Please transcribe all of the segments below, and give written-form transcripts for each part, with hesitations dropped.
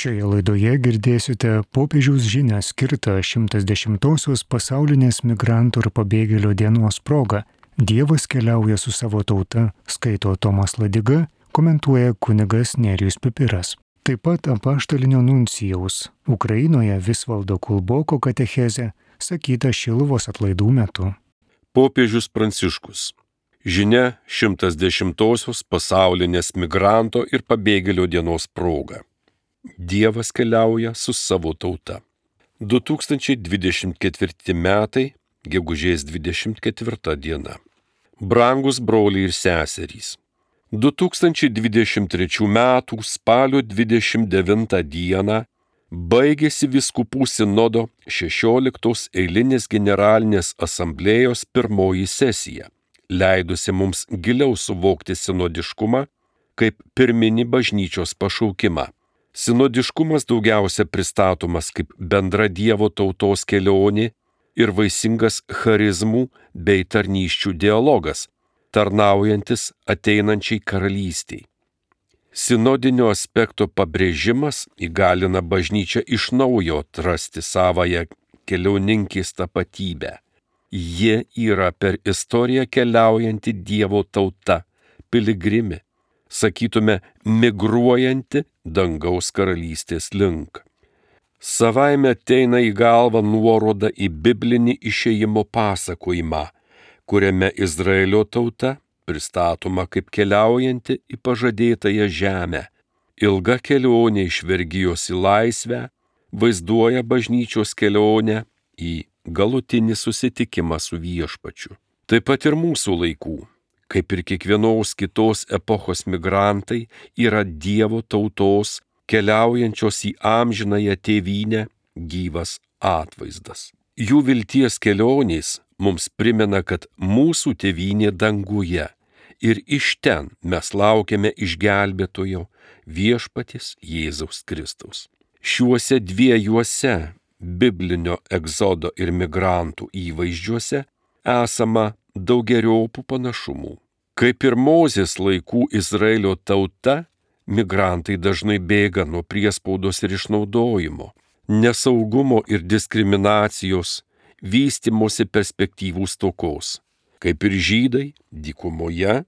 Šioje laidoje girdėsite popiežiaus žinią skirtą 110-osios pasaulinės migrantų ir pabėgėlių dienos proga. Dievas keliauja su savo tauta, skaito Tomas Ladiga, komentuoja kunigas Nerijus Pipiras. Taip pat apaštalinio nuncijaus Ukrainoje Visvaldo Kulboko katechezė, sakyta Šiluvos atlaidų metu. Popiežius Pranciškus. Žinia 110-osios pasaulinės migranto ir pabėgėlio dienos proga. Dievas keliauja su savo tauta. 2024 metai, gegužės 24 diena. Brangus broliai ir seserys. 2023 metų spalio 29 dieną baigėsi vyskupų sinodo 16 eilinės generalinės asamblėjos pirmoji sesija, leidusi mums giliau suvokti sinodiškumą kaip pirminį bažnyčios pašaukimą. Sinodiškumas daugiausia pristatomas kaip bendra Dievo tautos kelionė ir vaisingas charizmų bei tarnysčių dialogas, tarnaujantis ateinančiai karalystiai. Sinodinio aspekto pabrėžimas įgalina bažnyčią iš naujo atrasti savąją keliauninkės tapatybę. Ji yra per istoriją keliaujanti Dievo tauta, piligrimė, sakytume, migruojanti dangaus karalystės link. Savaime ateina į galvą nuoroda į biblinį išėjimo pasakojimą, kuriame Izraelio tauta pristatoma kaip keliaujanti į pažadėtąją žemę. Ilga kelionė iš vergijos į laisvę vaizduoja bažnyčios kelionę į galutinį susitikimą su viešpačiu. Taip pat ir mūsų laikų, kaip ir kiekvienos kitos epochos migrantai, yra Dievo tautos keliaujančios į amžinąją tėvynę gyvas atvaizdas. Jų vilties kelionės mums primena, kad mūsų tėvynė danguje ir iš ten mes laukiame išgelbėtojo viešpaties Jėzaus Kristaus. Šiuose dviejuose biblinio egzodo ir migrantų įvaizdžiuose esama daugeriopų panašumų. Kaip ir Mozės laikų Izraelio tauta, migrantai dažnai bėga nuo priespaudos ir išnaudojimo, nesaugumo ir diskriminacijos, vystimosi perspektyvų stokos. Kaip ir žydai, dykumoje,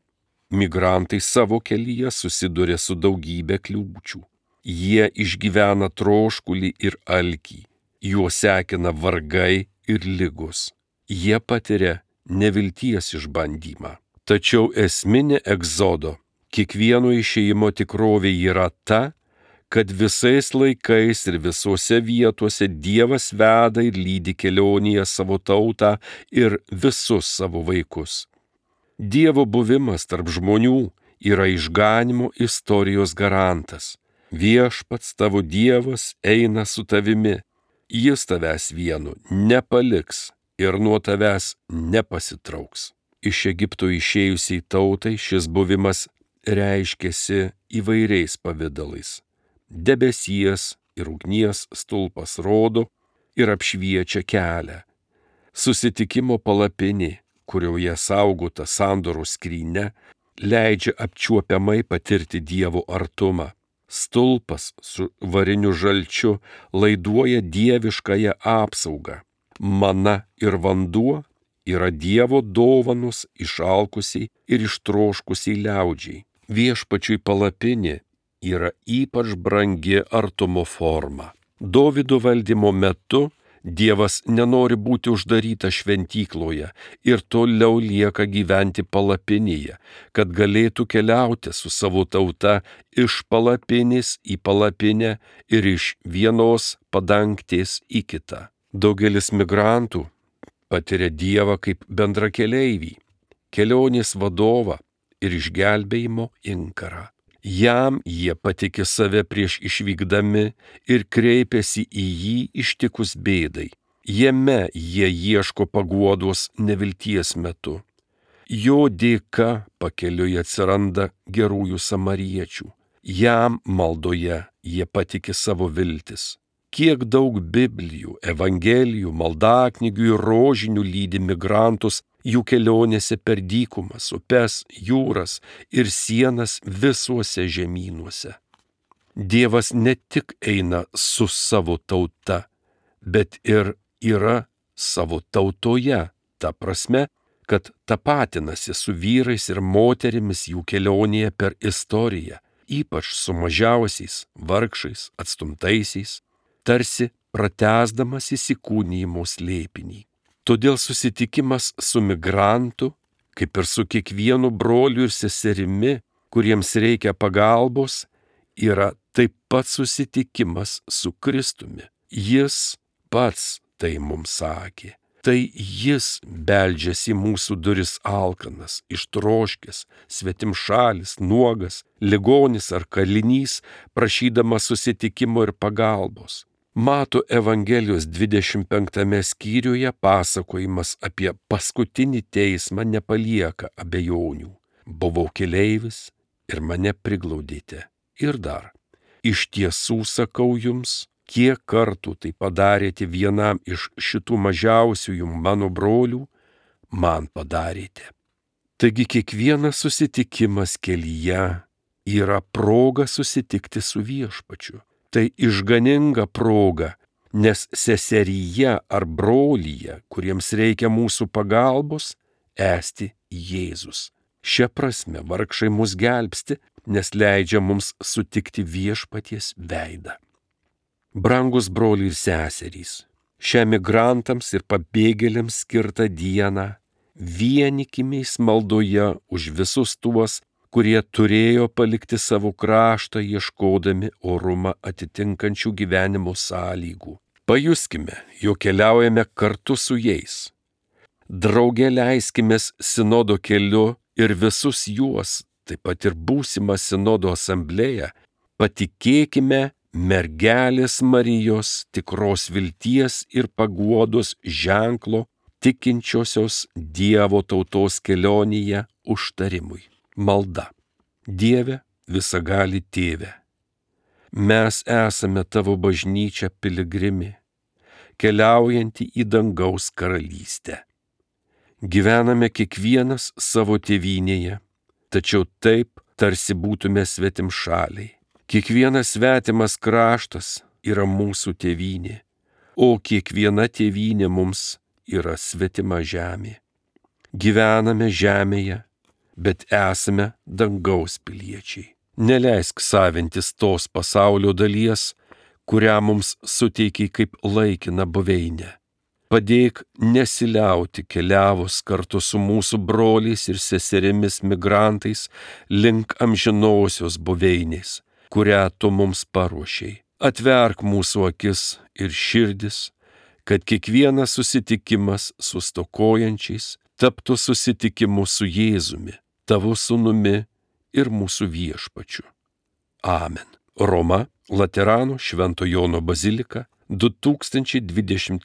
migrantai savo kelyje susiduria su daugybė kliūčių. Jie išgyvena troškulį ir alkį, juos sekina vargai ir ligos. Jie patiria nevilties išbandymą. Tačiau esminė egzodo, kiekvieno išėjimo tikrovė yra ta, kad visais laikais ir visose vietose Dievas veda ir lydi kelionėje savo tautą ir visus savo vaikus. Dievo buvimas tarp žmonių yra išganymo istorijos garantas. Viešpats tavo Dievas eina su tavimi, jis tavęs vienu nepaliks ir nuo tavęs nepasitrauks. Iš Egipto išėjusiai tautai šis buvimas reiškėsi įvairiais pavidalais. Debesies ir ugnies stulpas rodo ir apšviečia kelią. Susitikimo palapinė, kurioje saugota sandoros skrynia, leidžia apčiuopiamai patirti Dievo artumą. Stulpas su variniu žalčiu laiduoja dieviškąją apsaugą. Mana ir vanduo yra Dievo dovanos išalkusiai ir ištroškusiai liaudžiai. Viešpačiui palapinė yra ypač brangi artumo forma. Dovydo valdymo metu Dievas nenori būti uždarytas šventykloje ir toliau lieka gyventi palapinėje, kad galėtų keliauti su savo tauta iš palapinės į palapinę ir iš vienos padangtės į kitą. Daugelis migrantų patiria Dievą kaip bendrakeleivį, kelionės vadovą ir išgelbėjimo inkarą. Jam jie patiki save prieš išvykdami ir kreipiasi į jį ištikus bėdai. Jame jie ieško paguodos nevilties metu. Jo dėka pakeliui atsiranda gerųjų samariečių. Jam maldoje jie patiki savo viltis. Kiek daug Biblijų, Evangelijų, maldaknygių ir rožinių lydi migrantus jų kelionėse per dykumas, upes, jūras ir sienas visuose žemynuose. Dievas ne tik eina su savo tauta, bet ir yra savo tautoje, ta prasme, kad tapatinasi su vyrais ir moterimis jų kelionėje per istoriją, ypač su mažiausiais, vargšais, atstumtaisiais, tarsi pratęsdamas įsikūnijimo slėpinį. Todėl susitikimas su migrantu, kaip ir su kiekvienu broliu ir seserimi, kuriems reikia pagalbos, yra taip pat susitikimas su Kristumi. Jis pats tai mums sakė. Tai jis beldžiasi į mūsų duris alkanas, ištroškęs, svetimšalis, nuogas, ligonis ar kalinys, prašydamas susitikimo ir pagalbos. Mato Evangelijos 25 skyriuje pasakojimas apie paskutinį teismą nepalieka abejonių. Buvau keleivis ir mane priglaudėte. Ir dar, iš tiesų sakau jums, kiek kartų tai padarėte vienam iš šitų mažiausiųjų mano brolių, man padarėte. Taigi kiekvienas susitikimas kelyje yra proga susitikti su Viešpačiu. Tai išganinga proga, nes seseryje ar brolyje, kuriems reikia mūsų pagalbos, esti Jėzus. Šia prasme vargšai mus gelbsti, nes leidžia mums sutikti Viešpaties veidą. Brangus broliai ir seserys, šią migrantams ir pabėgėliams skirtą dieną vienykimės maldoje už visus tuos, kurie turėjo palikti savo kraštą ieškodami orumą atitinkančių gyvenimo sąlygų. Pajuskime, jog keliaujame kartu su jais. Drauge leiskimės sinodo keliu ir visus juos, taip pat ir būsimą sinodo asamblėją, patikėkime mergelės Marijos tikros vilties ir paguodos ženklo tikinčiosios Dievo tautos kelionėje užtarimui. Malda. Dieve, visagali Tėve, mes esame Tavo bažnyčia piligrimė, keliaujanti į dangaus karalystę. Gyvename kiekvienas savo tėvynėje, tačiau taip, tarsi būtume svetimšaliai. Kiekvienas svetimas kraštas yra mūsų tėvynė, o kiekviena tėvynė mums yra svetima žemė. Gyvename žemėje, bet esame dangaus piliečiai. Neleisk savintis tos pasaulio dalies, kurią mums suteikiai kaip laikiną buveinę. Padėk nesiliauti keliavus kartu su mūsų broliais ir seserimis migrantais link amžinosios buveinės, kurią tu mums paruošei. Atverk mūsų akis ir širdis, kad kiekvienas susitikimas su stokojančiais taptų susitikimu su Jėzumi, Tavo sūnumi ir mūsų Viešpačiu. Amen. Roma, Laterano Švento Jono bazilika, 2024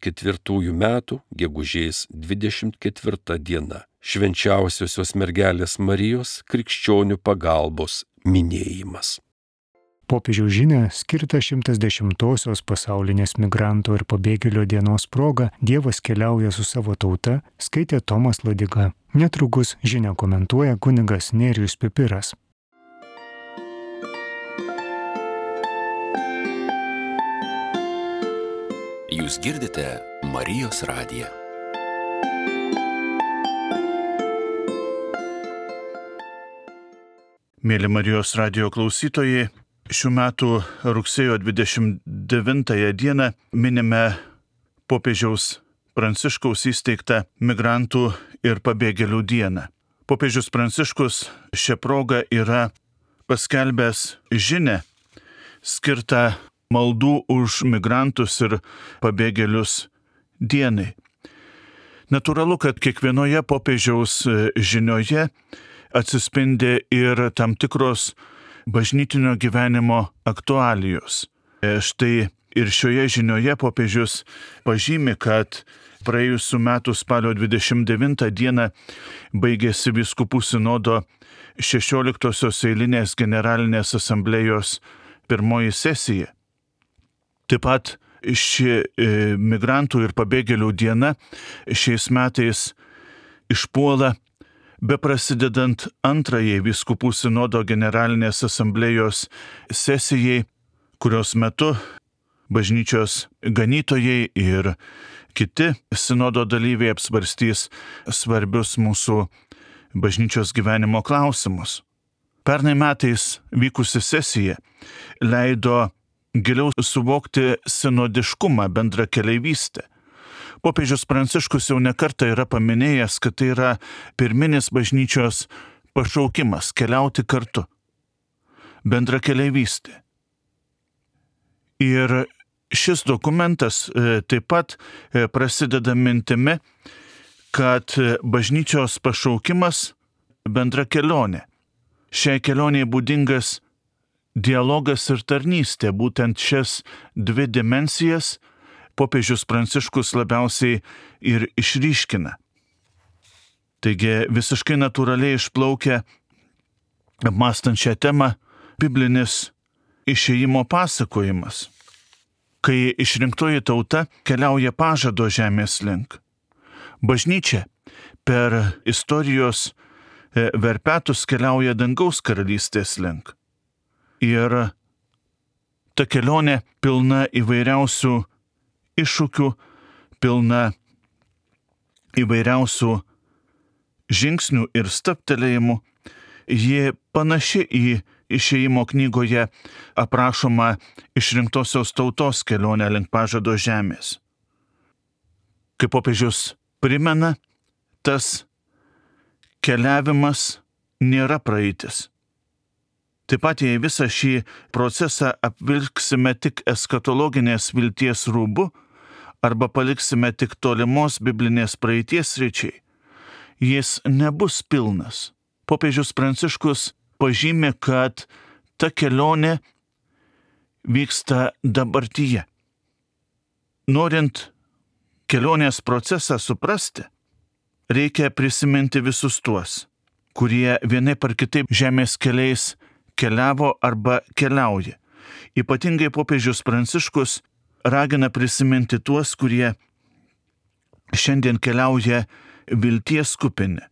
m. gegužės 24 diena. Švenčiausiosios mergelės Marijos krikščionių pagalbos minėjimas. Popiežiaus žinią skirtą 110-osios pasaulinės migrantų ir pabėgėlio dienos proga Dievas keliauja su savo tauta, skaitė Tomas Ladiga. Netrukus žinią komentuoja kunigas Nerijus Pipiras. Jūs girdite Marijos radiją. Mėly Marijos radijo klausytojai, šių metų rugsėjo 29 dieną minime popiežiaus Pranciškaus įsteigtą migrantų ir pabėgėlių dieną. Popiežius Pranciškus šią progą yra paskelbęs žinią skirtą maldų už migrantus ir pabėgėlius dienai. Natūralu, kad kiekvienoje popiežiaus žinioje atsispindi ir tam tikros bažnytinio gyvenimo aktualijos. Štai ir šioje žinioje popiežius pažymi, kad praėjusių metų spalio 29 dieną baigėsi vyskupų sinodo 16-osios eilinės generalinės asamblėjos pirmoji sesija. Taip pat ši migrantų ir pabėgėlių diena šiais metais išpuola beprasidedant antrajai vyskupų sinodo generalinės asamblėjos sesijai kurios metu bažnyčios ganytojai ir kiti sinodo dalyviai apsvarstys svarbius mūsų bažnyčios gyvenimo klausimus. Pernai metais vykusi sesija leido giliau suvokti sinodiškumą, bendrakeleivystę. Popiežius Pranciškus jau nekartą yra paminėjęs, kad tai yra pirminis bažnyčios pašaukimas – keliauti kartu. Bendrakeleivystė. Ir šis dokumentas taip pat prasideda mintimi, kad bažnyčios pašaukimas – bendra kelionė. Šiai kelioniai būdingas dialogas ir tarnystė, būtent šias dvi dimensijas popiežius Pranciškus labiausiai ir išryškina. Taigi visiškai natūraliai išplaukia, apmąstant šią temą, biblinis išėjimo pasakojimas, kai išrinktoji tauta keliauja pažado žemės link. Bažnyčia per istorijos verpetus keliauja dangaus karalystės link. Ir ta kelionė pilna įvairiausių iššūkių, pilna įvairiausių žingsnių ir stabtelėjimų. Ji panaši į išėjimo knygoje aprašoma išrinktosios tautos kelionę link pažado žemės. Kaip popiežius primena, tas keliavimas nėra praeitis. Taip pat jei visą šį procesą apvilksime tik eskatologinės vilties rūbu arba paliksime tik tolimos biblinės praeities sričiai, jis nebus pilnas. Popiežius Pranciškus pažymi, kad ta kelionė vyksta dabartyje. Norint kelionės procesą suprasti, reikia prisiminti visus tuos, kurie vienaip ar kitaip žemės keliais keliavo arba keliauja. Ypatingai popiežius Pranciškus ragina prisiminti tuos, kurie šiandien keliauja vilties kupini,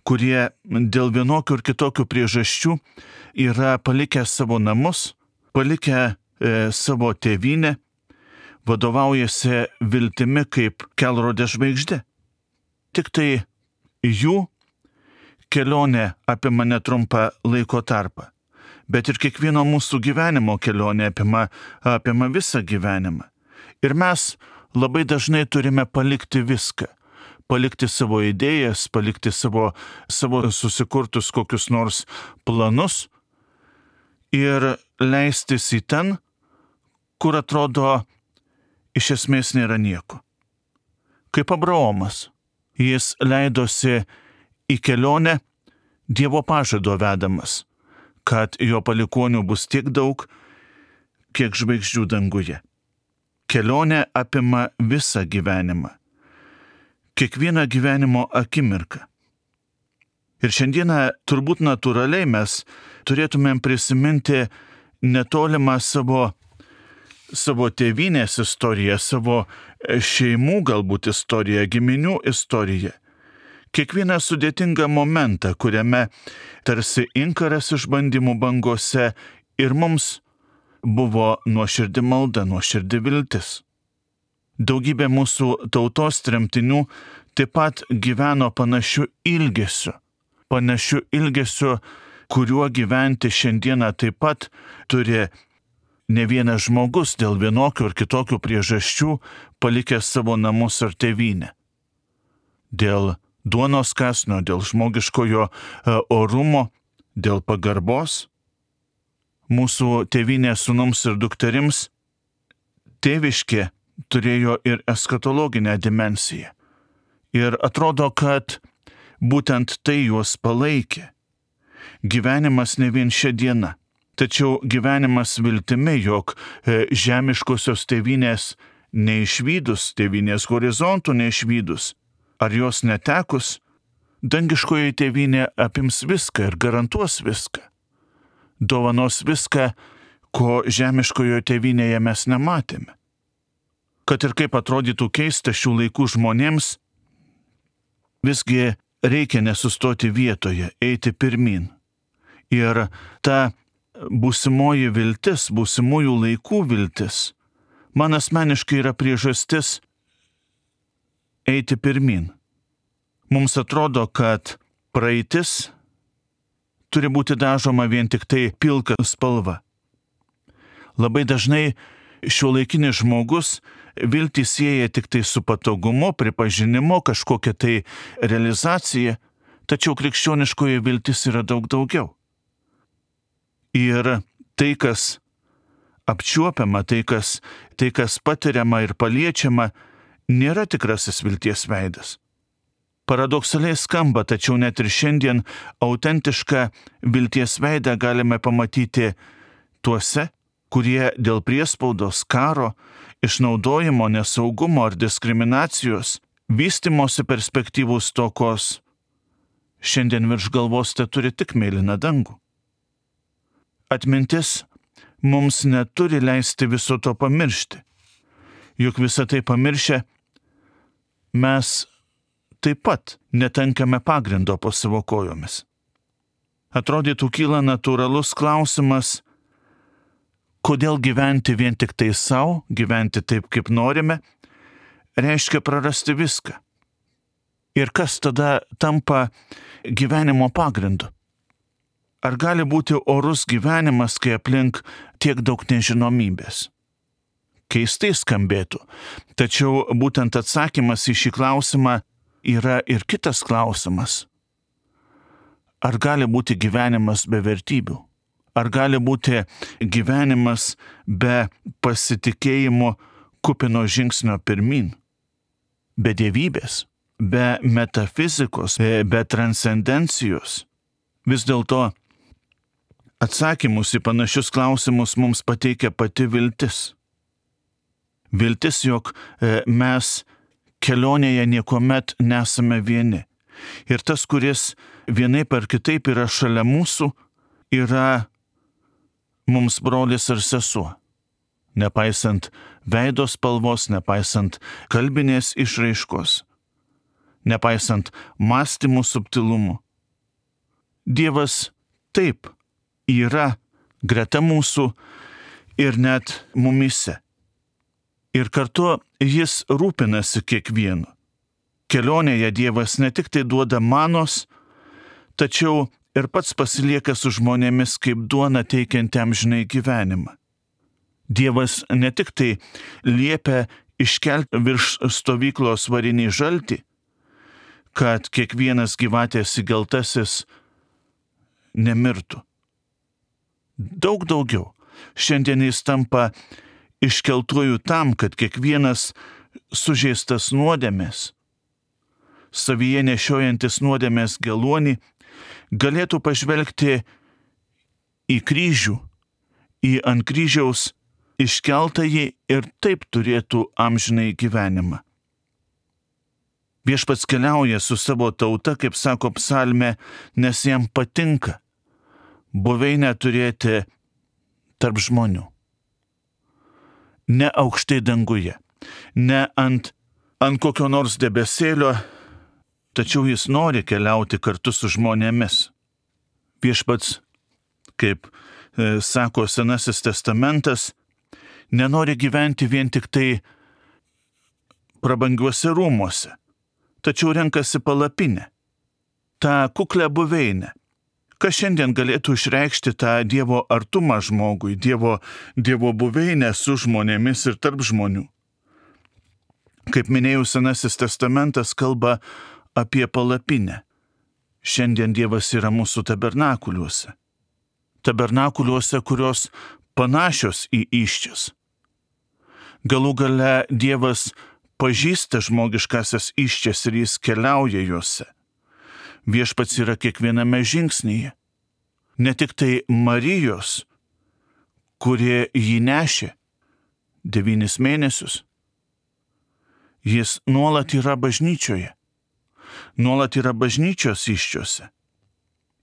kurie dėl vienokių ir kitokių priežasčių yra palikę savo namus, palikę savo tėvynę, vadovaujasi viltimi kaip kelrodė žvaigždė. Tik tai jų kelionė apima netrumpą laiko tarpą. Bet ir kiekvieno mūsų gyvenimo kelionė apima visą gyvenimą. Ir mes labai dažnai turime palikti viską. Palikti savo idėjas, palikti savo susikurtus kokius nors planus ir leistis į ten, kur atrodo iš esmės nėra nieko. Kaip Abraomas, jis leidosi į kelionę Dievo pažado vedamas, kad jo palikuonių bus tiek daug, kiek žvaigždžių danguje. Kelionė apima visą gyvenimą, kiekvieną gyvenimo akimirką. Ir šiandieną turbūt natūraliai mes turėtumėm prisiminti netolimą savo tėvynės istoriją, savo šeimų galbūt istoriją, giminių istoriją. Kiekvieną sudėtingą momentą, kuriame tarsi inkaras išbandymų bangose ir mums buvo nuoširdi malda, nuoširdi viltis. Daugybė mūsų tautos tremtinių taip pat gyveno panašiu ilgesiu, kuriuo gyventi šiandieną taip pat turi ne vienas žmogus dėl vienokių ir kitokių priežasčių palikęs savo namus ar tėvynę. Dėl duonos kąsnio, dėl žmogiškojo orumo, dėl pagarbos. Mūsų tėvynės sūnums ir dukterims tėviškė turėjo ir eskatologinę dimensiją. Ir atrodo, kad būtent tai juos palaikė. Gyvenimas ne vien šia diena, tačiau gyvenimas viltimi, jog žemiškosios tėvynės neišvydus, tėvynės horizontų neišvydus, ar jos netekus, dangiškoji tėvynė apims viską ir garantuos viską. Dovanos viską, ko žemiškojo tėvynėje mes nematėme. Kad ir kaip atrodytų keista šių laikų žmonėms, visgi reikia nesustoti vietoje, eiti pirmin. Ir ta būsimoji viltis, būsimųjų laikų viltis, man asmeniškai yra priežastis eiti pirmin. Mums atrodo, kad praeitis turi būti dažoma vien tik tai pilka spalva. Labai dažnai šiuolaikinis žmogus viltį sieja tik tai su patogumu, pripažinimu, kažkokia tai realizacija, tačiau krikščioniškoji viltis yra daug daugiau. Ir tai, kas apčiuopiama, tai, kas patiriama ir paliečiama, nėra tikrasis vilties veidas. Paradoksaliai skamba, tačiau net ir šiandien autentišką vilties veidą galime pamatyti tuose, kurie dėl priespaudos, karo, išnaudojimo, nesaugumo ar diskriminacijos, vystimosi perspektyvų stokos, šiandien virš galvos te turi tik mėlyną dangų. Atmintis mums neturi leisti viso to pamiršti. Juk visą tai pamiršę, mes taip pat netenkame pagrindo po savo kojomis. Atrodytų kyla natūralus klausimas, kodėl gyventi vien tik tai savo, gyventi taip, kaip norime, reiškia prarasti viską. Ir kas tada tampa gyvenimo pagrindu? Ar gali būti orus gyvenimas, kai aplink tiek daug nežinomybės? Keistai skambėtų, tačiau būtent atsakymas į šį klausimą yra ir kitas klausimas. Ar gali būti gyvenimas be vertybių? Ar gali būti gyvenimas be pasitikėjimo kupino žingsnio pirmin? Be dievybės, be metafizikos, be transcendencijos? Vis dėlto atsakymus į panašius klausimus mums pateikia pati viltis. Viltis, jog mes kelionėje niekuomet nesame vieni. Ir tas, kuris vienaip ar kitaip yra šalia mūsų, yra mums brolis ar sesuo. Nepaisant veido spalvos, nepaisant kalbinės išraiškos, nepaisant mąstymų subtilumų. Dievas taip yra greta mūsų ir net mumyse. Ir kartu jis rūpinasi kiekvienu. Kelionėje Dievas ne tik tai duoda manos, tačiau ir pats pasilieka su žmonėmis kaip duona teikianti amžinai gyvenimą. Dievas ne tik tai liepia iškelti virš stovyklos varinį žaltį, kad kiekvienas gyvatės įgeltasis nemirtų. Daug daugiau. Šiandien jis tampa iškeltuoju tam, kad kiekvienas sužeistas nuodėmės, savyje nešiojantis nuodėmės geluonį, galėtų pažvelgti į kryžių, į ant kryžiaus iškeltąjį ir taip turėtų amžinai gyvenimą. Viešpats keliauja su savo tauta, kaip sako psalmė, nes jam patinka buveinę turėti tarp žmonių. Ne aukštai danguje, ne ant kokio nors debesėlio, tačiau jis nori keliauti kartu su žmonėmis. Viešpats, kaip sako Senasis testamentas, nenori gyventi vien tik tai prabangiuose rūmuose, tačiau renkasi palapinę, tą kuklę buveinę. Kas šiandien galėtų išreikšti tą Dievo artumą žmogui, Dievo buveinę su žmonėmis ir tarp žmonių? Kaip minėjau, Senasis testamentas kalba apie palapinę. Šiandien Dievas yra mūsų tabernakuliuose. Tabernakuliuose, kurios panašios į įsčias. Galų gale Dievas pažįsta žmogiškasias įsčias ir jis keliauja juose. Viešpats yra kiekviename žingsnyje. Ne tik tai Marijos, kurie jį nešė 9 mėnesius. Jis nuolat yra bažnyčioje. Nuolat yra bažnyčios įsčiose.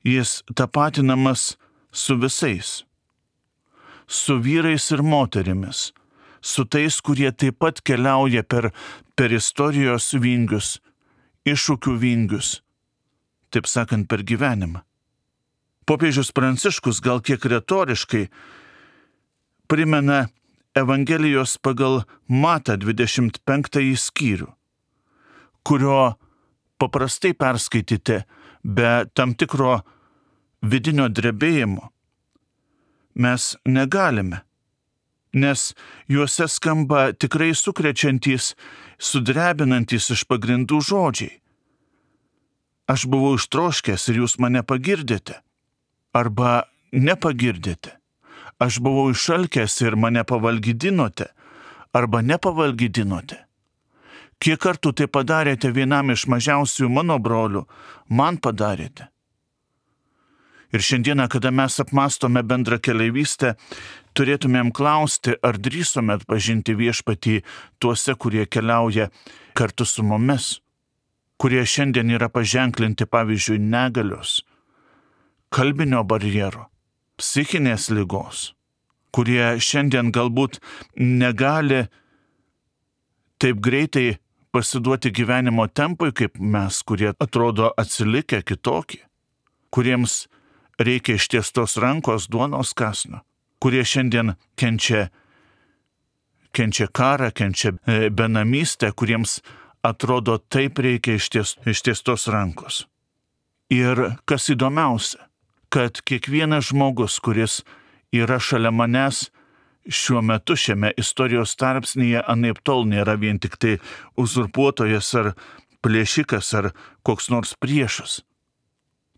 Jis tapatinamas su visais. Su vyrais ir moterimis. Su tais, kurie taip pat keliauja per istorijos vingius, iššūkių vingius. Taip sakant, per gyvenimą. Popiežius Pranciškus gal kiek retoriškai primena Evangelijos pagal Matą 25 skyrių, kurio paprastai perskaityti be tam tikro vidinio drebėjimo mes negalime, nes juose skamba tikrai sukrečiantys, sudrebinantys iš pagrindų žodžiai. Aš buvau ištroškęs ir jūs mane pagirdėte, arba nepagirdėte. Aš buvau išalkęs ir mane pavalgydinote, arba nepavalgydinote. Kiek kartų tai padarėte vienam iš mažiausių mano brolių, man padarėte. Ir šiandieną, kada mes apmastome bendrą keleivystę, turėtumėm klausti, ar drįsome atpažinti viešpatį tuose, kurie keliauja kartu su mumis, kurie šiandien yra paženklinti, pavyzdžiui, negalios, kalbinio barjero, psichinės ligos, kurie šiandien galbūt negali taip greitai pasiduoti gyvenimo tempui, kaip mes, kurie atrodo atsilikę kitokie, kuriems reikia ištiestos rankos duonos kąsnio, kurie šiandien kenčia karą, kenčia benamystę, kuriems atrodo taip reikia ištiestos rankos. Ir kas įdomiausia, kad kiekvienas žmogus, kuris yra šalia manęs šiuo metu šiame istorijos tarpsnyje, anaiptol nėra vien tik tai uzurpuotojas ar plėšikas ar koks nors priešas.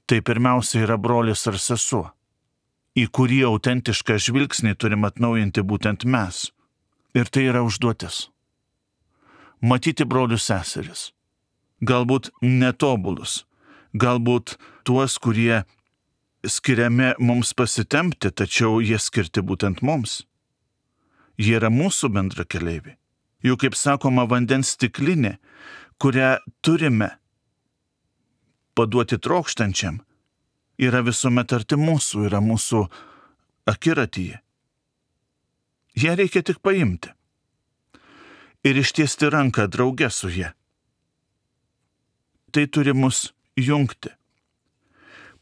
Tai pirmiausia yra brolis ar sesuo, į kurį autentišką žvilgsnį turim atnaujinti būtent mes. Ir tai yra užduotis. Matyti brolius seseris. Galbūt netobulus, galbūt tuos, kurie skiriami mums pasitempti, tačiau jie skirti būtent mums. Jie yra mūsų bendra keleiviai. Juk, kaip sakoma, vandens stiklinė, kurią turime paduoti trokštančiam, yra visuomet arti mūsų, yra mūsų akiratyje. Ją reikia tik paimti ir ištiesti ranką drauge su ja. Tai turi mus jungti.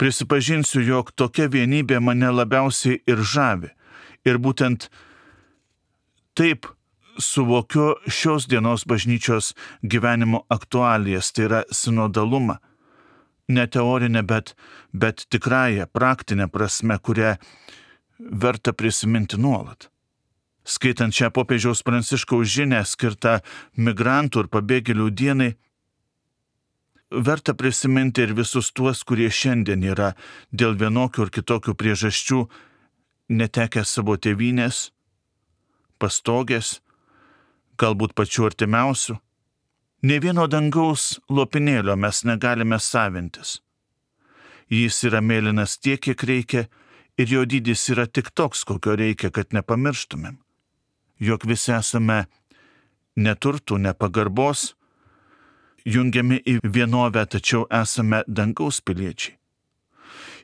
Prisipažinsiu, jog tokia vienybė mane labiausiai ir žavi. Ir būtent taip suvokiu šios dienos bažnyčios gyvenimo aktualijas, tai yra sinodalumą. Ne teorinę, bet tikrąją, praktinę prasme, kurią verta prisiminti nuolat. Skaitant šią popiežiaus Pranciškaus žinią skirtą migrantų ir pabėgėlių dienai, verta prisiminti ir visus tuos, kurie šiandien yra dėl vienokių ir kitokių priežasčių netekę savo tėvynės, pastogės, galbūt pačių artimiausių. Nė vieno dangaus lopinėlio mes negalime savintis. Jis yra mėlynas tiek, kiek reikia, ir jo dydis yra tik toks, kokio reikia, kad nepamirštumėm. Jog visi esame neturtų, nepagarbos, jungiami į vienovę, tačiau esame dangaus piliečiai.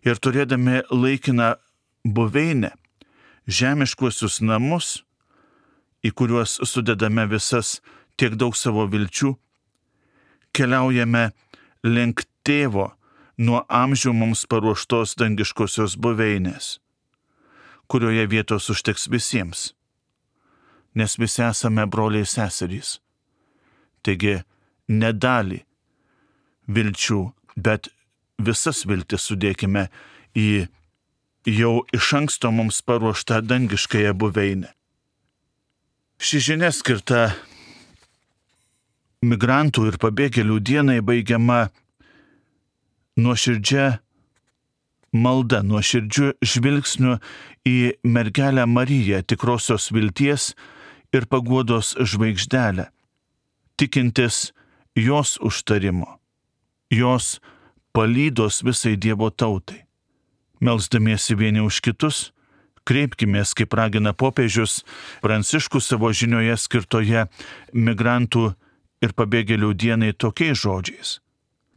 Ir turėdami laikiną buveinę, žemiškuosius namus, į kuriuos sudedame visas tiek daug savo vilčių, keliaujame link tėvo nuo amžių mums paruoštos dangiškosios buveinės, kurioje vietos užteks visiems, nes visi esame broliai seserys. Taigi, ne dalį vilčių, bet visas viltis sudėkime į jau iš anksto mums paruoštą dangiškąją buveinę. Ši žinia skirta migrantų ir pabėgėlių dienai baigiama nuoširdžia malda, nuoširdžiu žvilgsniu į mergelę Mariją, tikrosios vilties ir paguodos žvaigždelę, tikintis jos užtarimo, jos palydos visai Dievo tautai. Melsdamiesi vieni už kitus, kreipkimės, kaip ragina popiežius Pranciškus savo žinioje skirtoje migrantų ir pabėgėlių dienai tokiais žodžiais.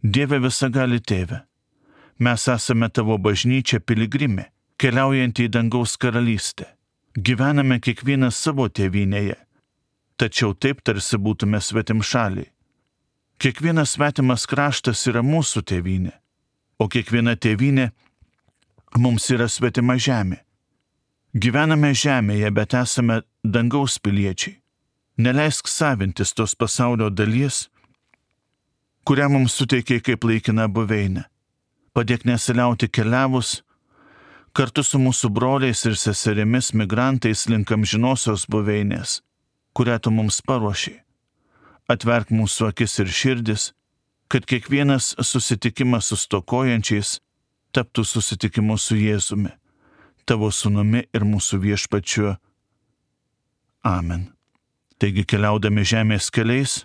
Dieve visagali tėve, mes esame tavo bažnyčia piligrimė, keliaujanti į dangaus karalystę. Gyvename kiekvienas savo tėvynėje, tačiau taip tarsi būtume svetimšaliai. Kiekvienas svetimas kraštas yra mūsų tėvynė, o kiekviena tėvynė mums yra svetima žemė. Gyvename žemėje, bet esame dangaus piliečiai. Neleisk savintis tos pasaulio dalies, kurią mums suteikia kaip laikina buveinė. Padėk nesiliauti keliavus kartu su mūsų broliais ir seserimis migrantais link amžinosios buveinės, kurią tu mums paruošiai. Atverk mūsų akis ir širdis, kad kiekvienas susitikimas su stokojančiais taptų susitikimu su Jėzumi, tavo sūnumi ir mūsų viešpačiu. Amen. Taigi keliaudami žemės keliais,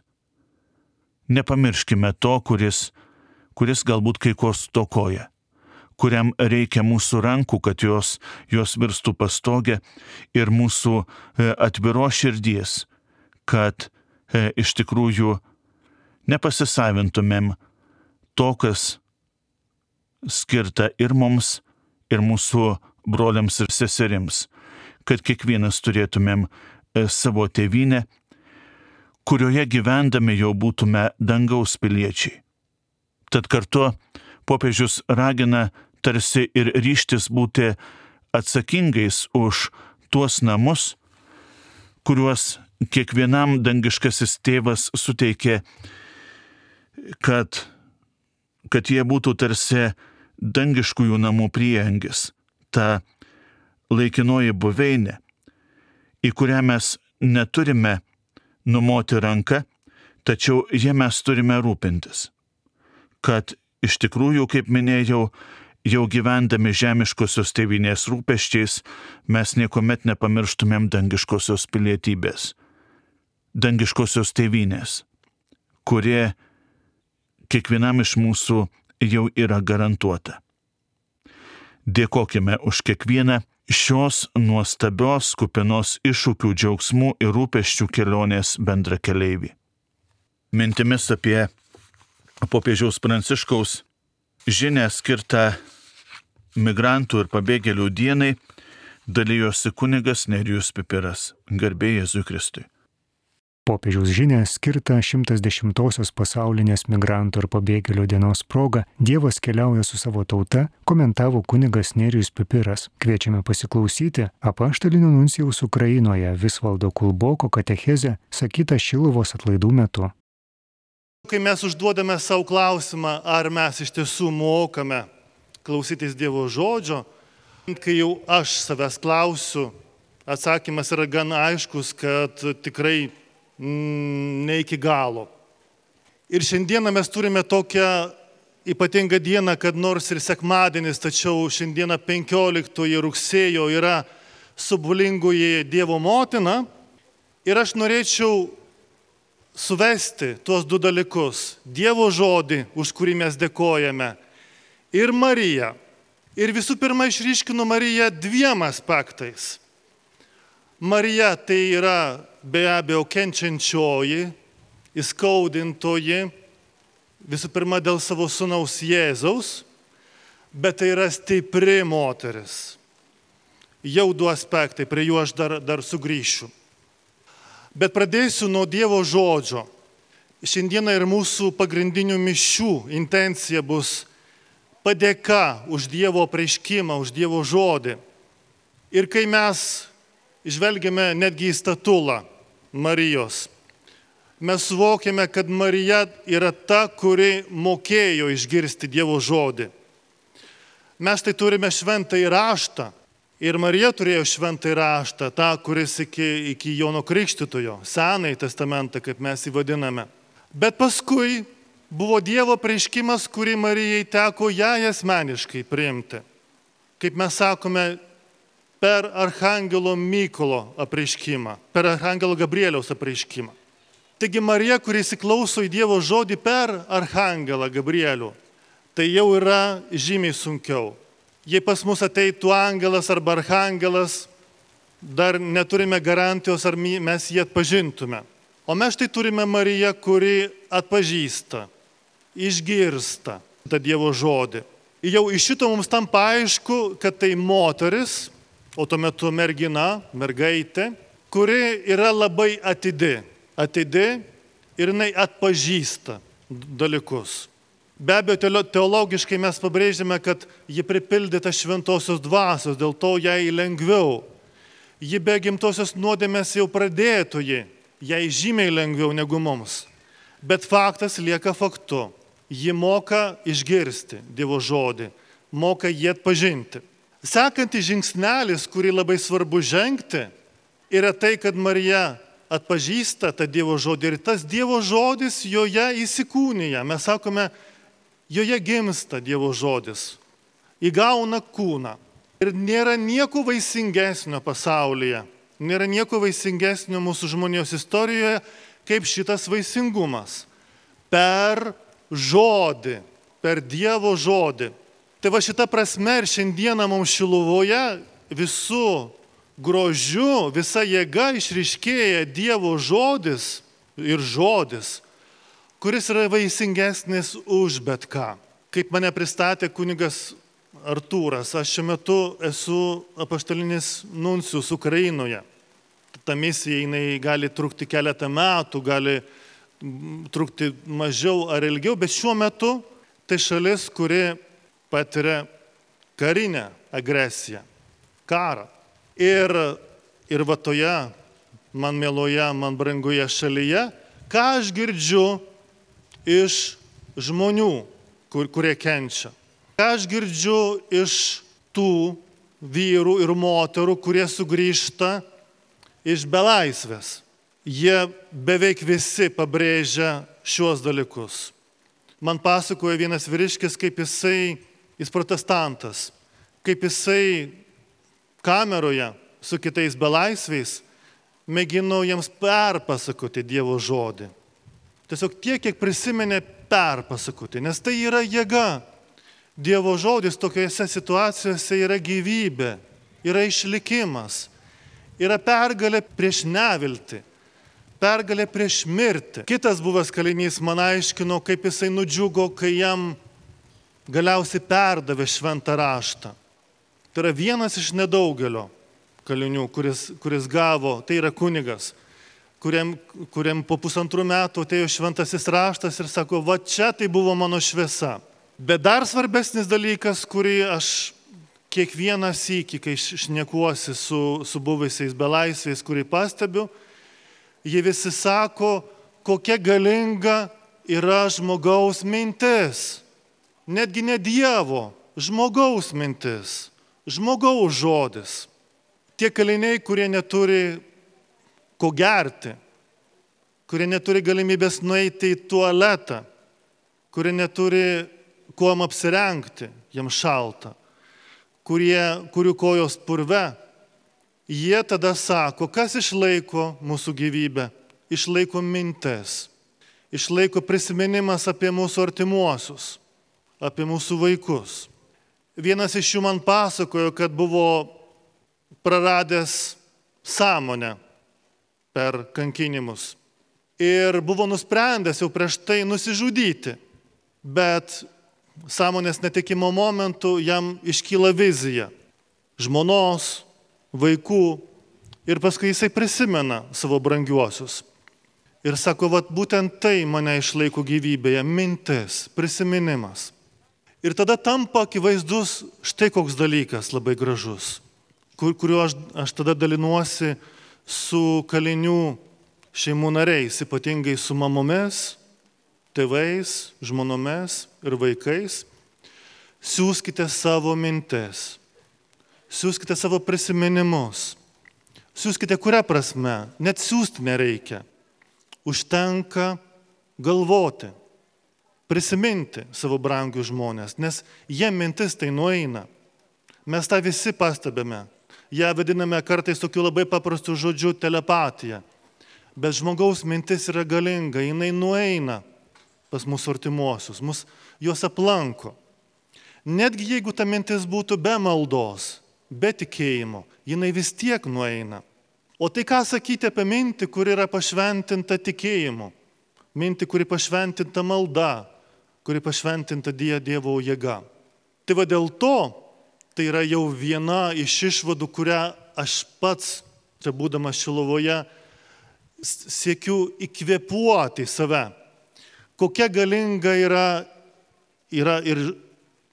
nepamirškime to, kuris galbūt kai ko stokoja, kuriam reikia mūsų rankų, kad jos virstų pastogę ir mūsų atviros širdies, kad iš tikrųjų nepasisavintumėm to, kas skirta ir mums, ir mūsų broliams ir seserims, kad kiekvienas turėtumėm savo tėvynę, kurioje gyvendami jau būtume dangaus piliečiai. Tad kartu popiežius ragina tarsi ir ryžtis būti atsakingais už tuos namus, kuriuos kiekvienam dangiškasis tėvas suteikė, kad jie būtų tarsi dangiškųjų namų prieangis, ta laikinoji buveinė, į kurią mes neturime numoti ranką, tačiau jie mes turime rūpintis, kad iš tikrųjų, kaip minėjau, jau gyvendami žemiškosios tėvynės rūpesčiais, mes niekuomet nepamirštumėm dangiškosios pilietybės, dangiškosios tėvynės, kurie kiekvienam iš mūsų jau yra garantuota. Dėkokime už kiekvieną šios nuostabios, kupinos iššūkių, džiaugsmų ir rūpesčių kelionės bendrakeleivį. Mintimis apie popiežiaus Pranciškaus žinią skirtą migrantų ir pabėgėlių dienai dalijosi kunigas Nerijus Pipiras. Garbė Jėzui Kristui. Popiežiaus žinią skirtą 110-osios pasaulinės migrantų ir pabėgėlių dienos proga Dievas keliauja su savo tauta, komentavo kunigas Nerijus Pipiras. Kviečiame pasiklausyti apaštalinio nuncijaus Ukrainoje Visvaldo Kulboko katechezę sakytą Šiluvos atlaidų metu. Kai mes užduodame savo klausimą, ar mes iš tiesų mokame klausytis Dievo žodžio, kai jau aš savęs klausiu, atsakymas yra gan aiškus, kad tikrai ne iki galo. Ir šiandieną mes turime tokią ypatingą dieną, kad nors ir sekmadienis, tačiau šiandieną 15 rugsėjo yra subulingoji Dievo motina. Ir aš norėčiau suvesti tuos du dalykus. Dievo žodį, už kurį mes dėkojame, ir Mariją. Ir visų pirma išryškinu Mariją dviem aspektais. Marija tai yra be abejo kenčiančioji, įskaudintoji, visų pirma dėl savo sūnaus Jėzaus, bet tai yra stipri moteris. Jau du aspektai, prie jų aš dar sugrįšiu. Bet pradėsiu nuo Dievo žodžio. Šiandieną ir mūsų pagrindinių mišių intencija bus padėka už Dievo apreiškimą, už Dievo žodį. Ir kai mes žvelgiame netgi į statulą Marijos, mes suvokiame, kad Marija yra ta, kuri mokėjo išgirsti Dievo žodį. Mes tai turime šventąjį raštą. Ir Marija turėjo šventąjį raštą, tą, kuris iki Jono Krikštytojo, Senąjį testamentą, kaip mes jį vadiname. Bet paskui buvo Dievo apreiškimas, kurį Marijai teko jai asmeniškai priimti. Kaip mes sakome, per Archangelo Mykolo apreiškimą, per Archangelo Gabrieliaus apreiškimą. Taigi Marija, kuri įsiklauso į Dievo žodį per Archangelą Gabrielių, tai jau yra žymiai sunkiau. Jei pas mus ateitų angelas arba archangelas, dar neturime garantijos, ar mes jį atpažintume. O mes štai turime Mariją, kuri atpažįsta, išgirsta tą Dievo žodį. Jau iš šito mums tampa aišku, kad tai moteris, o tuo metu mergina, mergaitė, kuri yra labai atidi ir jinai atpažįsta dalykus. Be abejo, teologiškai mes pabrėžėme, kad ji pripildyta šventosios dvasios, dėl to jai lengviau. Ji be gimtosios nuodėmės jau pradėtoji, jai žymiai lengviau negu mums. Bet faktas lieka faktu. Ji moka išgirsti Dievo žodį, moka jį atpažinti. Sekantis žingsnelis, kurį labai svarbu žengti, yra tai, kad Marija atpažįsta tą Dievo žodį ir tas Dievo žodis joje įsikūnija. Mes sakome, joje gimsta Dievo žodis, įgauna kūną. Ir nėra nieko vaisingesnio pasaulyje, nėra nieko vaisingesnio mūsų žmonijos istorijoje, kaip šitas vaisingumas. Per žodį, per Dievo žodį. Tai va šita prasme ir šiandieną mums Šiluvoje visų grožiu, visa jėga išryškėja Dievo žodis ir žodis, kuris yra vaisingesnis už bet ką. Kaip mane pristatė kunigas Artūras, aš šiuo metu esu apaštalinis nuncijus Ukrainoje. Ta misija jinai gali trukti keletą metų, gali trukti mažiau ar ilgiau, bet šiuo metu tai šalis, kuri patiria karinę agresiją, karą. Ir va toje man mieloje, man brangoje šalyje, ką aš girdžiu iš žmonių, kurie kenčia. Ką aš girdžiu iš tų vyrų ir moterų, kurie sugrįžta iš belaisvės. Jie beveik visi pabrėžia šiuos dalykus. Man pasakoja vienas vyriškis, kaip jis protestantas, kaip jisai kameroje su kitais belaisviais mėgino jiems perpasakoti Dievo žodį. Tiesiog tiek, kiek prisiminė perpasakoti, nes tai yra jėga. Dievo žodis tokiose situacijose yra gyvybė, yra išlikimas, yra pergalė prieš neviltį, pergalė prieš mirtį. Kitas buvęs kalinys man aiškino, kaip jisai nudžiugo, kai jam galiausiai perdavė šventą raštą. Tai yra vienas iš nedaugelio kalinių, kuris gavo, tai yra kunigas, kuriam po 1,5 metų atėjo šventasis raštas ir sako, va čia tai buvo mano šviesa. Bet dar svarbesnis dalykas, kurį aš kiekvieną sykį, kai šnekuosi su buvusiais belaisviais, kurį pastebiu, jie visi sako, kokia galinga yra žmogaus mintis. Netgi ne Dievo, žmogaus mintis, žmogaus žodis. Tie kaliniai, kurie neturi ko gerti, kurie neturi galimybės nueiti į tualetą, kurie neturi kuom apsirengti, jiems šalta, kurių kojos purve, jie tada sako, kas išlaiko mūsų gyvybę, išlaiko mintis, išlaiko prisiminimas apie mūsų artimuosius, apie mūsų vaikus. Vienas iš jų man pasakojo, kad buvo praradęs sąmonę per kankinimus ir buvo nusprendęs jau prieš tai nusižudyti, bet sąmonės netekimo momentu jam iškyla vizija žmonos, vaikų ir paskui jisai prisimena savo brangiuosius. Ir sako, vat būtent tai mane išlaiko gyvybėje, mintis, prisiminimas. Ir tada tampa akivaizdus štai koks dalykas labai gražus, kuriuo aš tada dalinuosi su kalinių šeimų nariais, ypatingai su mamomis, tėvais, žmonomis ir vaikais. Siųskite savo mintis, siųskite savo prisiminimus, siųskite kuria prasme, net siųsti nereikia. Užtenka galvoti, prisiminti savo brangius žmonės, nes jie mintis tai nueina. Mes tą visi pastebime. Ją vadiname kartais tokiu labai paprastu žodžiu telepatija. Bet žmogaus mintis yra galinga, jinai nueina pas mūsų artimuosius, juos aplanko. Netgi jeigu ta mintis būtų be maldos, be tikėjimo, jinai vis tiek nueina. O tai ką sakyti apie mintį, kuri yra pašventinta tikėjimu, mintį, kuri pašventinta malda, kuri pašventinta Dievo jėga. Tai va dėl to, tai yra jau viena iš išvadų, kurią aš pats, čia būdamas Šiluvoje, siekiu įkvėpuoti save. Kokia galinga yra yra ir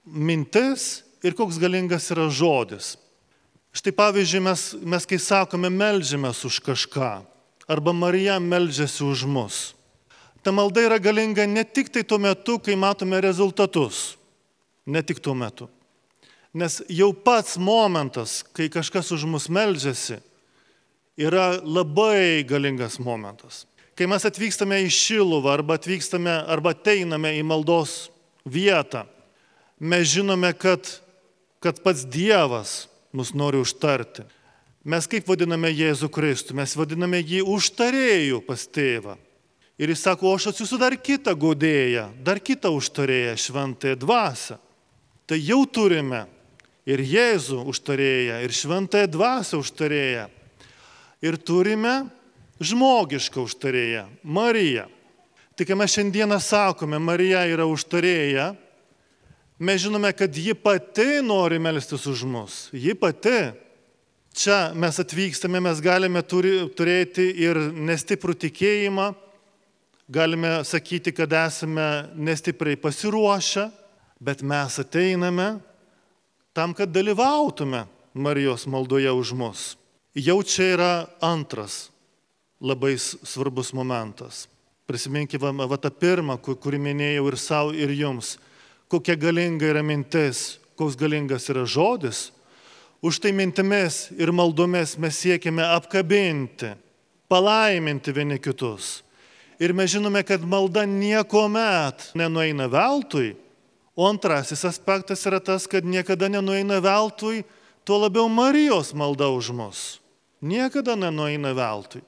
mintis, ir koks galingas yra žodis. Štai pavyzdžiui, mes kai sakome meldžiamės už kažką, arba Marija meldžiasi už mus. Ta malda yra galinga ne tik tai tuo metu, kai matome rezultatus. Ne tik tuo metu. Nes jau pats momentas, kai kažkas už mus meldžiasi, yra labai galingas momentas. Kai mes atvykstame į Šiluvą arba ateiname į maldos vietą, mes žinome, kad pats Dievas mus nori užtarti. Mes kaip vadiname Jėzų Kristų? Mes vadiname jį užtarėju pas tėvą. Ir jis sako, aš atsiųsiu dar kitą guodėją, dar kitą užtarėją, šventąją dvasią. Tai jau turime ir Jėzų užtarėją, ir šventąją dvasią užtarėją. Ir turime žmogišką užtarėją, Mariją. Tai kai mes šiandieną sakome, Marija yra užtarėja, mes žinome, kad ji pati nori melstis už mus. Ji pati. Čia mes atvykstame, mes galime turėti ir nestiprų tikėjimą, galime sakyti, kad esame nestipriai pasiruošę, bet mes ateiname tam, kad dalyvautume Marijos maldoje už mus. Jau čia yra antras labai svarbus momentas. Prisiminkime tą pirmą, kurį minėjau ir savo, ir jums. Kokia galinga yra mintis, koks galingas yra žodis. Už tai mintimis ir maldomis mes siekime apkabinti, palaiminti vieni kitus. Ir mes žinome, kad malda niekuomet nenueina veltui. O antrasis aspektas yra tas, kad niekada nenueina veltui, tuo labiau Marijos malda už mus. Niekada nenueina veltui.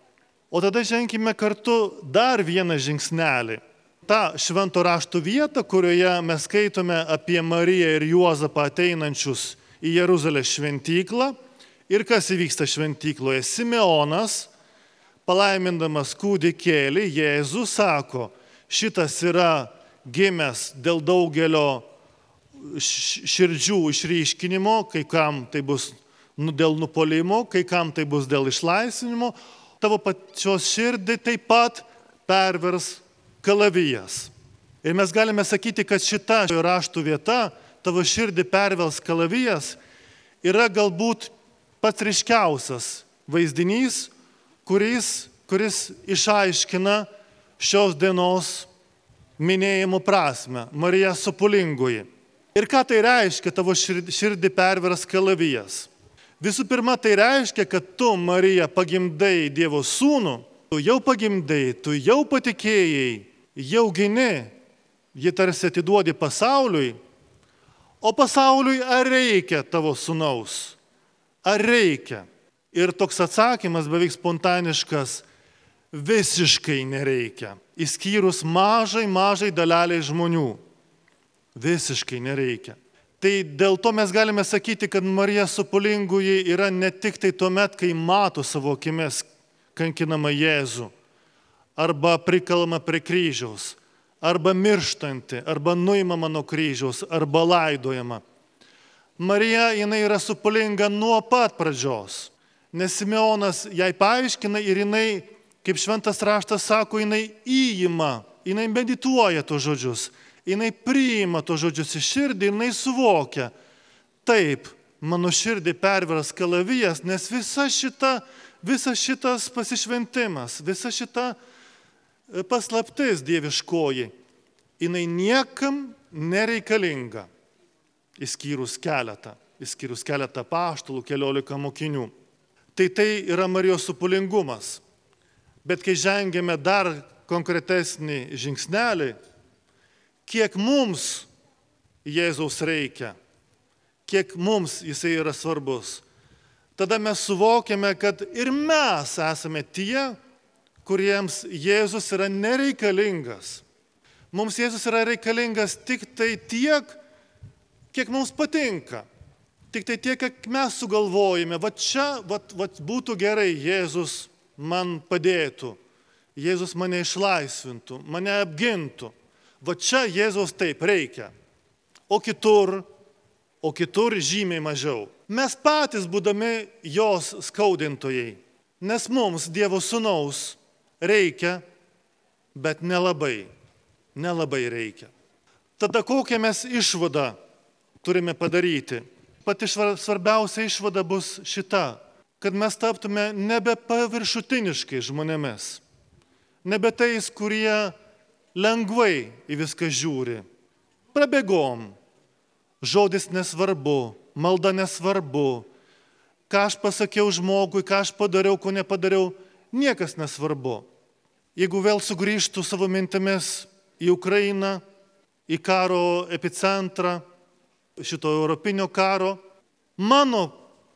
O tada ženkime kartu dar vieną žingsnelį. Ta švento rašto vieta, kurioje mes skaitome apie Mariją ir Juozapą ateinančius į Jeruzalės šventyklą. Ir kas įvyksta šventykloje? Simeonas, palaimindamas kūdikėlį, Jėzus sako, šitas yra gimęs dėl daugelio širdžių išryškinimo, kai kam tai bus dėl nupolimo, kai kam tai bus dėl išlaisvinimo, tavo pačios širdį taip pat pervers kalavijas. Ir mes galime sakyti, kad šita raštų vieta, tavo širdį pervers kalavijas, yra galbūt pats ryškiausias vaizdinys, kuris išaiškina šios dienos minėjimo prasme, Marija Sopulingoji. Ir ką tai reiškia, tavo širdį pervers kalavijas? Visų pirma, tai reiškia, kad tu, Marija, pagimdai Dievo sūnų, tu jau pagimdai, tu jau patikėjai, jau gini, jį tarsi atiduodi pasauliui, o pasauliui ar reikia tavo sūnaus? Ar reikia? Ir toks atsakymas beveik spontaniškas, visiškai nereikia, išskyrus mažai daleliai žmonių. Visiškai nereikia. Tai dėl to mes galime sakyti, kad Marija Sopulingoji yra ne tik tai tuomet, kai mato savo akimis kankinamą Jėzų, arba prikalama prie kryžiaus, arba mirštanti, arba nuimama nuo kryžiaus, arba laidojama. Marija, jinai yra Sopulinga nuo pat pradžios. Nes Simeonas jai paaiškina ir jinai, kaip šventas raštas sako, jinai įima, jinai medituoja tos žodžius, jinai priima tos žodžius į širdį ir jinai suvokia. Taip, mano širdį pervers kalavijas, nes visas šitas pasišventimas, visa šita paslaptis dieviškoji, jinai niekam nereikalinga, išskyrus keletą apaštalų, 14 mokinių. Tai yra Marijos sopulingumas. Bet kai žengėme dar konkretesnį žingsnelį, kiek mums Jėzaus reikia, kiek mums jisai yra svarbus, tada mes suvokiame, kad ir mes esame tie, kuriems Jėzus yra nereikalingas. Mums Jėzus yra reikalingas tik tai tiek, kiek mums patinka. Tik tai tiek, kiek mes sugalvojame, būtų gerai, Jėzus man padėtų, Jėzus mane išlaisvintų, mane apgintų. Čia Jėzaus taip reikia, o kitur žymiai mažiau. Mes patys būdami jos skaudintojai, nes mums Dievo sūnaus reikia, bet nelabai reikia. Tada kokią mes išvadą turime padaryti? Pati svarbiausia išvada bus šita, kad mes taptume nebe paviršutiniškai žmonėmis, nebe tais, kurie lengvai į viską žiūri. Prabėgom, žodis nesvarbu, malda nesvarbu, ką aš pasakiau žmogui, ką aš padariau, ko nepadariau, niekas nesvarbu. Jeigu vėl sugrįžtų savo mintimis į Ukrainą, į karo epicentrą, šito europinio karo, mano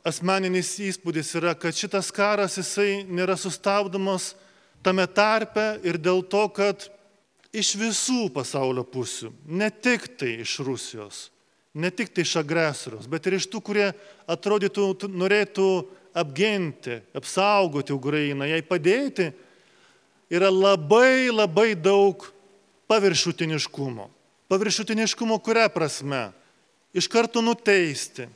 asmeninis įspūdis yra, kad šitas karas jisai nėra sustabdomas tame tarpe ir dėl to, kad iš visų pasaulio pusių, ne tik tai iš Rusijos, ne tik tai iš agresorius, bet ir iš tų, kurie atrodytų norėtų apginti, apsaugoti Ukrainą, jai padėti, yra labai labai daug paviršutiniškumo. Paviršutiniškumo kuria prasme? Iš karto nuteisti,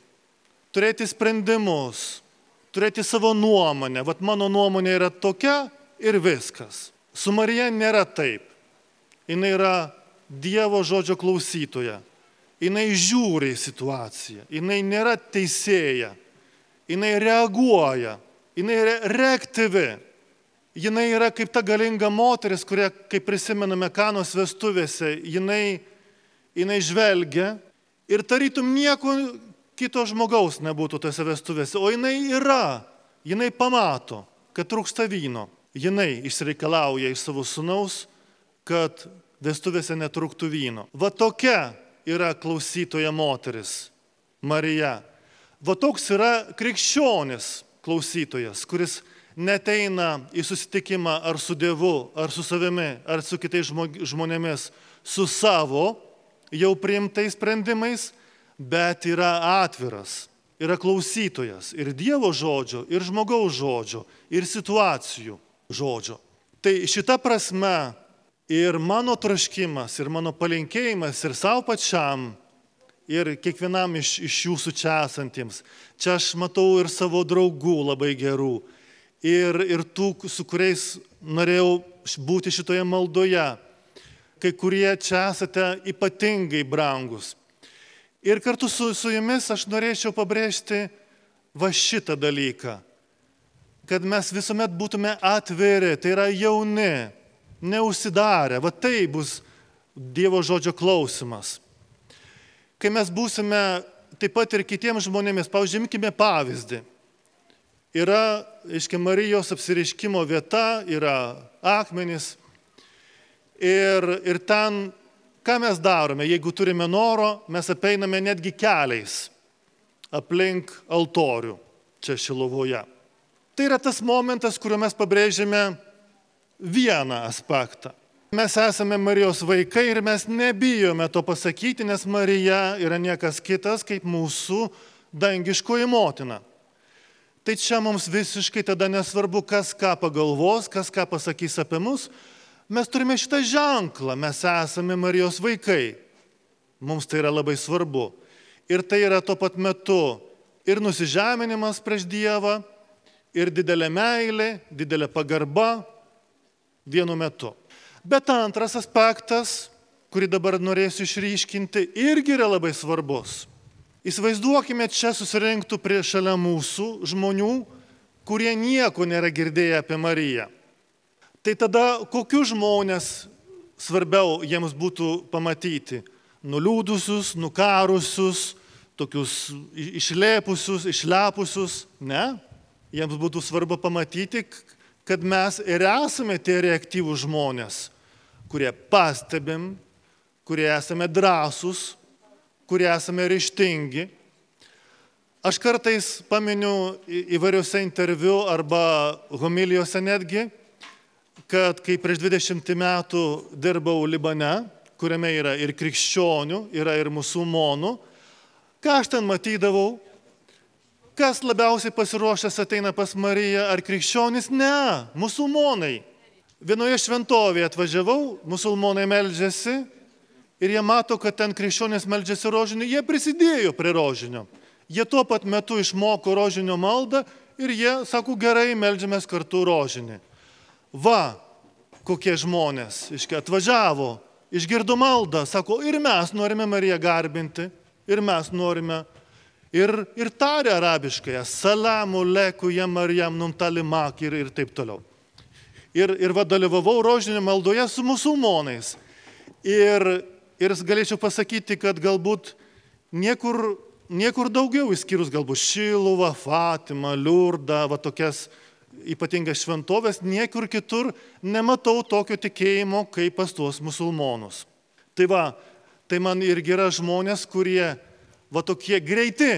turėti sprendimus, turėti savo nuomonę. Vat mano nuomonė yra tokia ir viskas. Su Marija nėra taip. Jis yra Dievo žodžio klausytoja. Jis žiūri į situaciją. Jis nėra teisėja. Jis reaguoja. Jis yra reaktyvi. Jis yra kaip ta galinga moteris, kuria, kaip prisimename Kanos vestuvėse, jinai žvelgia ir tarytum nieko kito žmogaus nebūtų tose vestuvėse, o jinai pamato, kad trūksta vyno. Jinai išsireikalauja iš savo sūnaus, kad vestuvėse netrūktų vyno. Va tokia yra klausytoja moteris, Marija. Va toks yra krikščionis klausytojas, kuris neteina į susitikimą ar su Dievu, ar su savimi, ar su kitais žmonėmis, su savo jau priimtais sprendimais, bet yra atviras, yra klausytojas ir Dievo žodžio, ir žmogaus žodžio, ir situacijų žodžio. Tai šita prasme ir mano troškimas, ir mano palinkėjimas, ir savo pačiam, ir kiekvienam iš jūsų čia esantiems. Čia aš matau ir savo draugų labai gerų, ir tų, su kuriais norėjau būti šitoje maldoje. Kai kurie čia esate ypatingai brangus. Ir kartu su jumis aš norėčiau pabrėžti va šitą dalyką, kad mes visuomet būtume atviri, tai yra jauni, neužsidarę, va tai bus Dievo žodžio klausimas. Kai mes būsime taip pat ir kitiems žmonėmis, pavyzdžiui, imkime pavyzdį. Yra, Marijos apsireiškimo vieta, yra akmenys. Ir ten, ką mes darome, jeigu turime noro, mes apeiname netgi keliais aplink altorių čia Šilovoje. Tai yra tas momentas, kuriuo mes pabrėžėme vieną aspektą. Mes esame Marijos vaikai ir mes nebijome to pasakyti, nes Marija yra niekas kitas kaip mūsų dangiškoji motina. Tai čia mums visiškai tada nesvarbu, kas ką pagalvos, kas ką pasakys apie mus. Mes turime šitą ženklą, mes esame Marijos vaikai. Mums tai yra labai svarbu. Ir tai yra tuo pat metu ir nusižeminimas prieš Dievą, ir didelė meilė, didelė pagarba vienu metu. Bet antras aspektas, kurį dabar norėsiu išryškinti, irgi yra labai svarbus. Įsivaizduokime, čia susirinktų šalia mūsų žmonių, kurie nieko nėra girdėję apie Mariją. Tai tada kokius žmonės svarbiau jiems būtų pamatyti? Nuliūdusius, nukarusius, tokius išlepusius, ne? Jiems būtų svarbu pamatyti, kad mes ir esame tie reaktyvūs žmonės, kurie pastebim, kurie esame drąsūs, kurie esame ryžtingi. Aš kartais paminiu įvairiuose interviu arba homilijose netgi, kad kai prieš 20 metų dirbau Libane, kuriame yra ir krikščionių, yra ir musulmonų, ką aš ten matydavau, kas labiausiai pasiruošęs ateina pas Mariją, ar krikščionys? Ne, musulmonai. Vienoje šventovėje atvažiavau, musulmonai meldžiasi ir jie mato, kad ten krikščionys meldžiasi rožinio, jie prisidėjo prie rožinio. Jie tuo pat metu išmoko rožinio maldą ir jie sako, gerai, meldžiamės kartu rožinį. Va, kokie žmonės, atvažiavo išgirdo maldą, sako, ir mes norime Mariją garbinti, ir mes norime, ir tarė arabiškai, salamu leku jam Marijam numtalimak ir taip toliau. Ir dalyvavau rožinio maldoje su musulmonais. Ir galėčiau pasakyti, kad galbūt niekur daugiau, išskyrus galbūt Šiluvą, Fatimą, Liurdą, va tokias ypatingas šventovės, niekur kitur nematau tokio tikėjimo, kaip pas tuos musulmonus. Tai man irgi yra žmonės, kurie va tokie greiti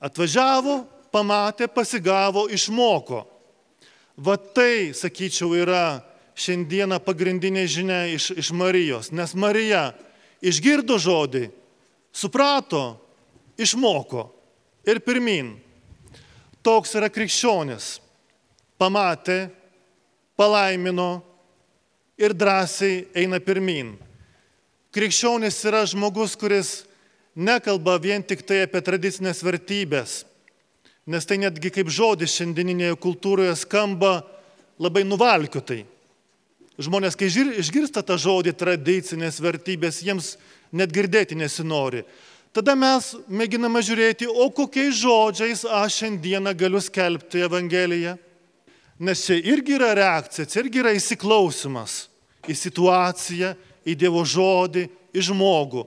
atvažiavo, pamatė, pasigavo, išmoko. Va tai, sakyčiau, yra šiandieną pagrindinė žinia iš Marijos, nes Marija išgirdo žodį, suprato, išmoko ir pirmin. Toks yra krikščionis. Pamatė, palaimino ir drąsiai eina pirmin. Krikščionis yra žmogus, kuris nekalba vien tik tai apie tradicinės vertybės, nes tai netgi kaip žodis šiandieninėje kultūroje skamba labai nuvalkiotai. Žmonės, kai išgirsta tą žodį tradicinės vertybės, jiems net girdėti nesinori. Tada mes mėginame žiūrėti, o kokiais žodžiais aš šiandieną galiu skelbti Evangeliją. Nes čia irgi yra reakcija, čia irgi yra įsiklausimas į situaciją, į Dievo žodį, į žmogų.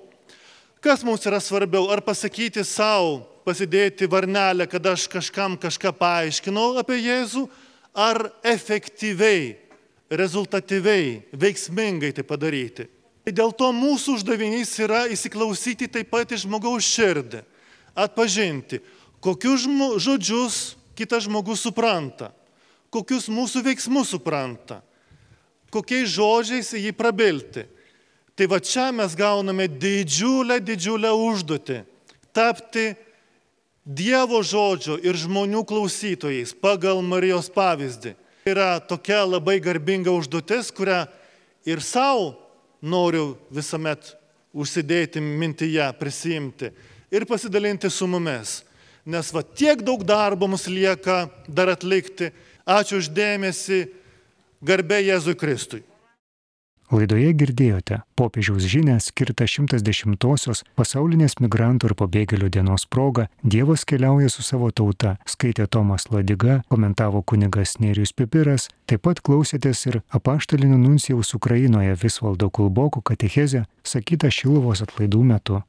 Kas mums yra svarbiau, ar pasakyti savo, pasidėti varnelę, kad aš kažkam kažką paaiškinau apie Jėzų, ar efektyviai, rezultatyviai, veiksmingai tai padaryti. Dėl to mūsų uždavinys yra įsiklausyti taip pat į žmogaus širdį, atpažinti, kokius žodžius kitas žmogus supranta, kokius mūsų veiksmus supranta, kokiais žodžiais jį prabilti. Tai va čia mes gauname didžiulę užduotį tapti Dievo žodžio ir žmonių klausytojais pagal Marijos pavyzdį. Tai yra tokia labai garbinga užduotis, kurią ir savo noriu visuomet užsidėti mintyje, prisimti ir pasidalinti su mumis. Nes va tiek daug darbo mums lieka dar atlikti. Ačiū už dėmesį, garbė Jėzui Kristui. Laidoje girdėjote popiežiaus žinią skirtą 110-osios pasaulinės migrantų ir pabėgėlių dienos proga Dievas keliauja su savo tauta, skaitė Tomas Ladiga, komentavo kunigas Nerijus Pipiras, taip pat klausėtės ir apaštalinio nuncijaus Ukrainoje Visvaldo Kulboko katechezę sakytą Šiluvos atlaidų metu.